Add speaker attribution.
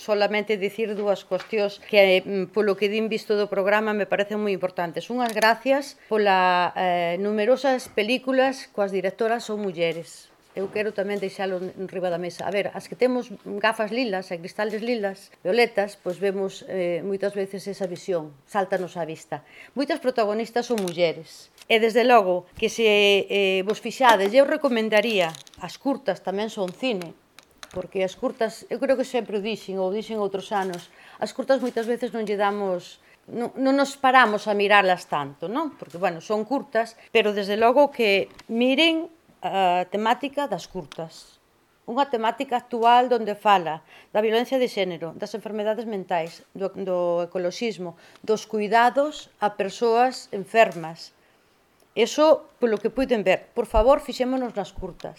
Speaker 1: Solamente dicir dúas cuestións que, polo que din visto do programa, me parecen moi importantes. Unhas gracias pola numerosas películas coas directoras son mulleres. Eu quero tamén deixalo enriba da mesa. A ver, as que temos gafas lilas e cristales lilas, violetas, pois vemos moitas veces esa visión, sáltanos á vista. Moitas protagonistas son mulleres. E, desde logo, que se vos fixades, eu recomendaría, as curtas tamén son cine, porque as curtas, eu creo que sempre o dixen, ou dixen outros anos, as curtas moitas veces non lle damos, non nos paramos a mirarlas tanto, non? Porque, bueno, son curtas, pero desde logo que miren a temática das curtas. Unha temática actual onde fala da violencia de xénero, das enfermedades mentais, do ecoloxismo, dos cuidados a persoas enfermas. Eso, polo que puiden ver, por favor, fixémonos nas curtas.